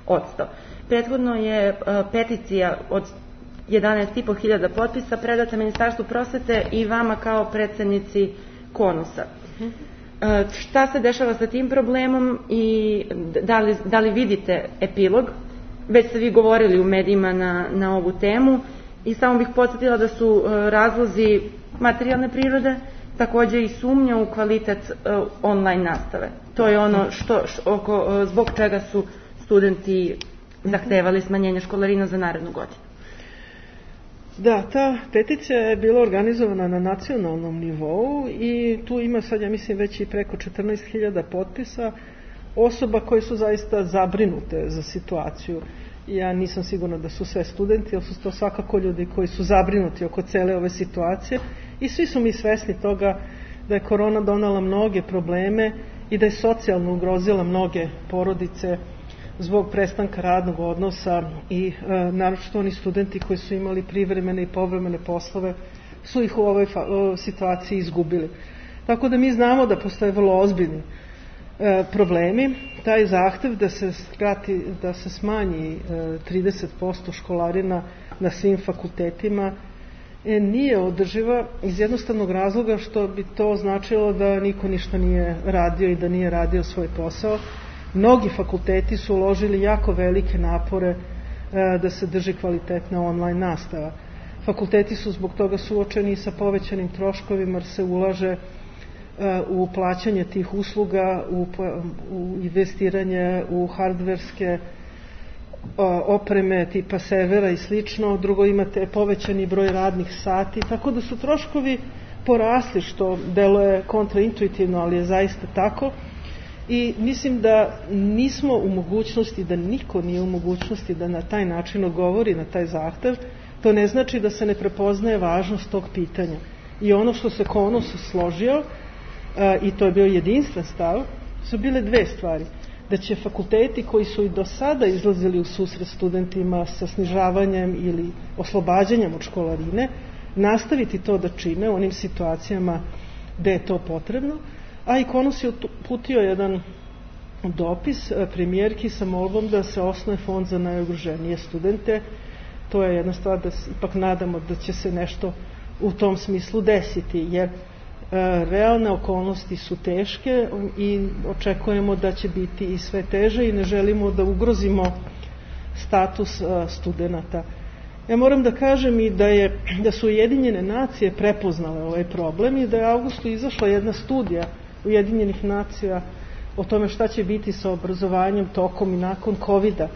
30%. Prethodno je peticija od 11.500 potpisa predata Ministarstvu prosvete i vama kao predsednici KONUS-a. Šta se dešava sa tim problemom i da li vidite epilog? Već ste vi govorili u medijima na ovu temu i samo bih podsjetila da su razlozi materijalne prirode, takođe i sumnja u kvalitet online nastave. To je ono zbog čega su studenti zahtevali smanjenje školarina za narednu godinu. Da, ta peticija je bila organizovana na nacionalnom nivou i tu ima sad, ja mislim, već i preko 14.000 potpisa osoba koje su zaista zabrinute za situaciju. Ja nisam sigurna da su sve studenti, ali su to svakako ljudi koji su zabrinuti oko cele ove situacije i svi su mi svesni toga da je korona donela mnoge probleme i da je socijalno ugrozila mnoge porodice zbog prestanka radnog odnosa i naročito oni studenti koji su imali privremene i povremene poslove su ih u ovoj situaciji izgubili. Tako da mi znamo da postoje vrlo ozbiljni problemi. Taj zahtev da se smanji 30% školarina na svim fakultetima nije održiva iz jednostavnog razloga što bi to značilo da niko ništa nije radio i da nije radio svoj posao. Mnogi fakulteti su uložili jako velike napore da se drži kvalitetna online nastava. Fakulteti su zbog toga suočeni sa povećanim troškovima jer se ulaže u plaćanje tih usluga, u investiranje u hardverske opreme tipa servera i slično. Drugo, imate povećani broj radnih sati, tako da su troškovi porasli, što deluje kontraintuitivno, ali je zaista tako. I mislim da nismo u mogućnosti, da niko nije u mogućnosti da na taj način odgovori na taj zahtev. To ne znači da se ne prepoznaje važnost tog pitanja. I ono što se KONUS složio, i to je bio jedinstven stav, su bile dve stvari. Da će fakulteti koji su i do sada izlazili u susret studentima sa snižavanjem ili oslobađanjem od školarine, nastaviti to da čine u onim situacijama gde je to potrebno, a i KONUS je uputio jedan dopis premijerki sa molbom da se osnuje fond za najugroženije studente. To je jedna stvar da se ipak nadamo da će se nešto u tom smislu desiti, jer realne okolnosti su teške i očekujemo da će biti i sve teže i ne želimo da ugrozimo status studenata. Ja moram da kažem i da su Ujedinjene nacije prepoznale ovaj problem i da je u avgustu izašla jedna studija Ujedinjenih nacija o tome šta će biti sa obrazovanjem tokom i nakon COVID-a.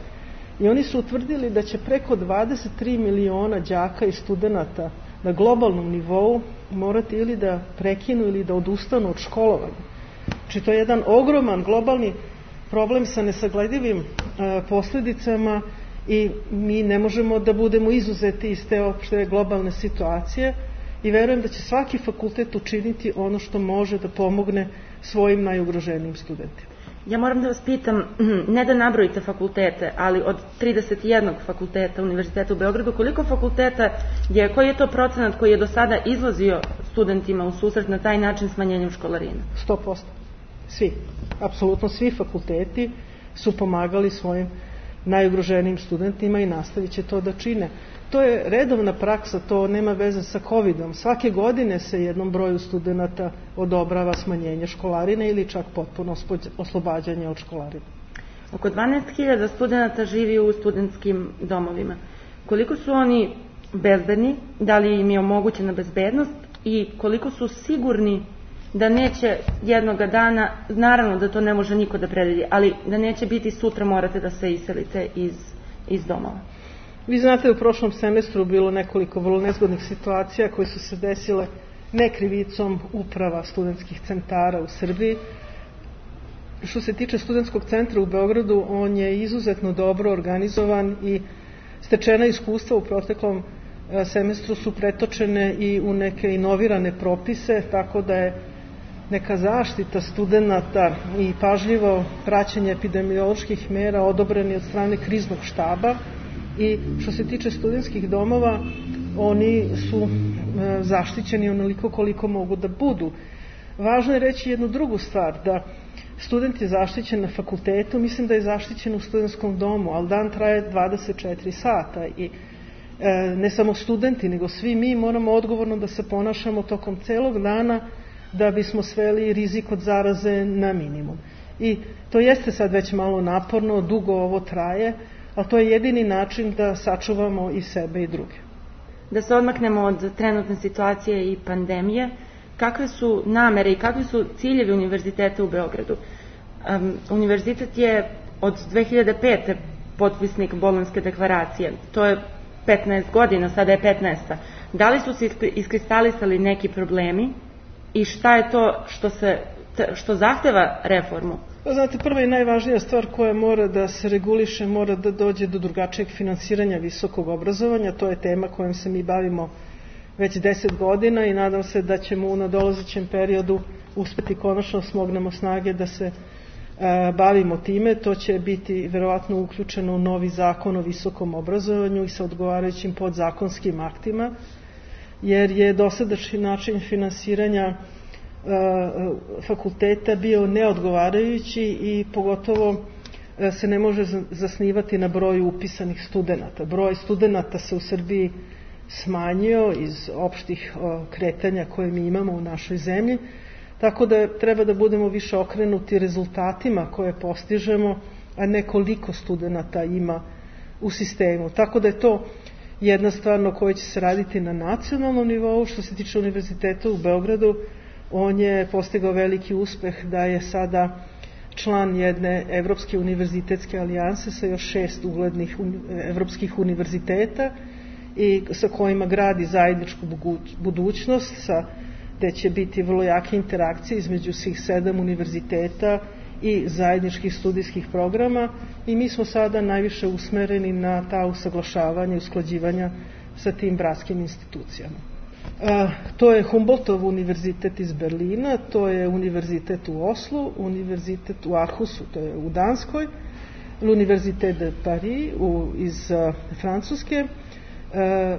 I oni su utvrdili da će preko 23 miliona đaka i studenata na globalnom nivou morati ili da prekinu ili da odustanu od školovanja. Znači to je jedan ogroman globalni problem sa nesagledivim posledicama i mi ne možemo da budemo izuzeti iz te opšte globalne situacije i verujem da će svaki fakultet učiniti ono što može da pomogne svojim najugroženijim studentima. Ja moram da vas pitam, ne da nabrojite fakultete, ali od 31 fakulteta Univerziteta u Beogradu, koliko fakulteta je, koji je to procenat koji je do sada izlazio studentima u susret na taj način smanjenjem školarina? 100%. Svi. Apsolutno svi fakulteti su pomagali svojim najugroženijim studentima i nastavit će to da čine. To je redovna praksa, to nema veze sa COVID-om. Svake godine se jednom broju studenta odobrava smanjenje školarine ili čak potpuno oslobađanje od školarine. Oko 12.000 studenta živi u studentskim domovima. Koliko su oni bezbedni, da li im je omogućena bezbednost i koliko su sigurni da neće jednoga dana, naravno da to ne može niko da predvidi, ali da neće biti sutra morate da se iselite iz domova? Vi znate, u prošlom semestru bilo nekoliko vrlo nezgodnih situacija koje su se desile nekrivicom uprava studentskih centara u Srbiji. Što se tiče studentskog centra u Beogradu, on je izuzetno dobro organizovan i stečena iskustva u proteklom semestru su pretočene i u neke inovirane propise, tako da je neka zaštita studenata i pažljivo praćenje epidemioloških mera odobreni od strane kriznog štaba. I što se tiče studentskih domova, oni su zaštićeni onoliko koliko mogu da budu. Važno je reći jednu drugu stvar, da student je zaštićen na fakultetu, mislim da je zaštićen u studentskom domu, ali dan traje 24 sata i ne samo studenti, nego svi mi moramo odgovorno da se ponašamo tokom celog dana da bismo sveli rizik od zaraze na minimum. I to jeste sad već malo naporno, dugo ovo traje, ali to je jedini način da sačuvamo i sebe i druge. Da se odmaknemo od trenutne situacije i pandemije, kakve su namere i kakvi su ciljevi Univerziteta u Beogradu? Univerzitet je od 2005. potpisnik Bolonjske deklaracije. To je 15 godina, sada je 15. Da li su se iskristalisali neki problemi i šta je to što zahteva reformu Znate, prva i najvažnija stvar koja mora da se reguliše, mora da dođe do drugačijeg finansiranja visokog obrazovanja. To je tema kojom se mi bavimo već 10 godina i nadam se da ćemo u nadolazećem periodu uspeti konačno smognemo snage da se bavimo time. To će biti verovatno uključeno u novi zakon o visokom obrazovanju i sa odgovarajućim podzakonskim aktima, jer je dosadašnji način finansiranja fakulteta bio neodgovarajući i pogotovo se ne može zasnivati na broju upisanih studenata. Broj studenata se u Srbiji smanjio iz opštih kretanja koje mi imamo u našoj zemlji, tako da treba da budemo više okrenuti rezultatima koje postižemo, a ne koliko studenata ima u sistemu. Tako da je to jedna stvar na kojoj će se raditi na nacionalnom nivou. Što se tiče univerziteta u Beogradu, on je postigao veliki uspeh da je sada član jedne evropske univerzitetske alijanse sa još 6 uglednih evropskih univerziteta i sa kojima gradi zajedničku budućnost, gde će biti vrlo jake interakcije između svih 7 univerziteta i zajedničkih studijskih programa i mi smo sada najviše usmereni na ta usaglašavanja i usklađivanja sa tim bratskim institucijama. To je Humboldtov univerzitet iz Berlina, to je univerzitet u Oslu, univerzitet u Aarhusu, to je u Danskoj, l'Université de Paris iz Francuske,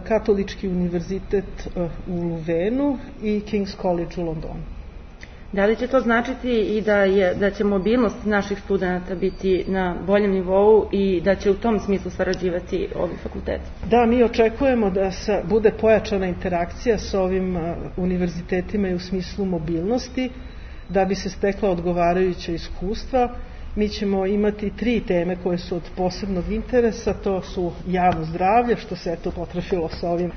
Katolički univerzitet u Luvenu i King's College u Londonu. Da li će to značiti i da će mobilnost naših studenta biti na boljem nivou i da će u tom smislu sarađivati ovi fakulteti? Da, mi očekujemo da bude pojačana interakcija sa ovim univerzitetima i u smislu mobilnosti, da bi se stekla odgovarajuća iskustva. Mi ćemo imati 3 teme koje su od posebnog interesa, to su javno zdravlje, što se eto potrefilo sa ovim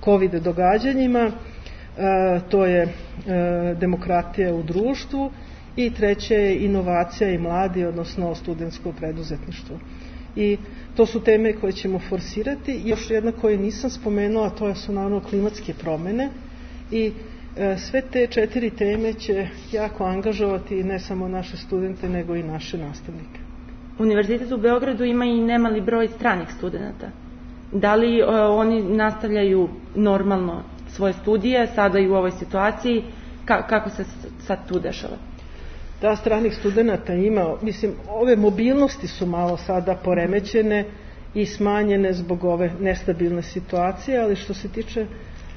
COVID događanjima, to je demokratija u društvu i treće je inovacija i mladi, odnosno studentsko preduzetništvo. I to su teme koje ćemo forsirati. I još jedna koju nisam spomenula, to su naravno klimatske promene i sve te 4 teme će jako angažovati ne samo naše studente, nego i naše nastavnike. Univerzitet u Beogradu ima i nemali broj stranih studenta. Da li oni nastavljaju normalno svoje studije, sada i u ovoj situaciji? Kako se sad tu dešava? Da, stranih studenta ima. Mislim, ove mobilnosti su malo sada poremećene i smanjene zbog ove nestabilne situacije, ali što se tiče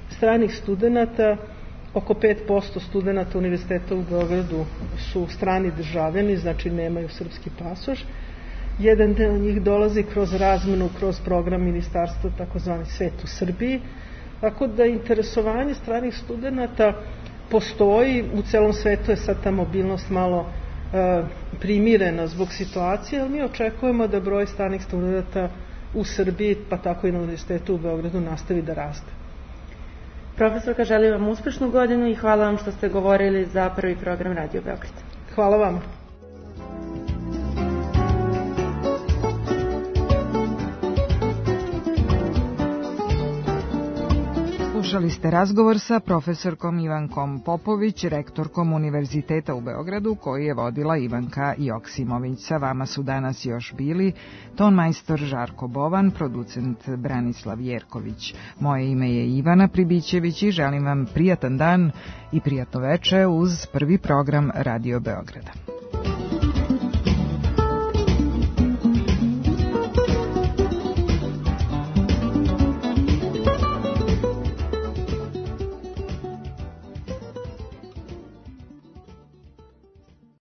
stranih studenta, oko 5% studenta univerziteta u Beogradu su strani državljani, znači nemaju srpski pasoš. Jedan deo njih dolazi kroz razmenu, kroz program ministarstva, takozvani Svet u Srbiji. Tako da interesovanje stranih studenta postoji, u celom svetu je sad ta mobilnost malo primirena zbog situacije, ali mi očekujemo da broj stranih studenta u Srbiji, pa tako i na univerzitetu u Beogradu, nastavi da raste. Profesorka, želim vam uspešnu godinu i hvala vam što ste govorili za prvi program Radio Beograd. Hvala vam. Slušali ste razgovor sa profesorkom Ivankom Popović, rektorkom Univerziteta u Beogradu, koji je vodila Ivanka Joksimović. Sa vama su danas još bili tonmajstor Žarko Bovan, producent Branislav Jerković. Moje ime je Ivana Pribićević i želim vam prijatan dan i prijatno veče uz prvi program Radio Beograda.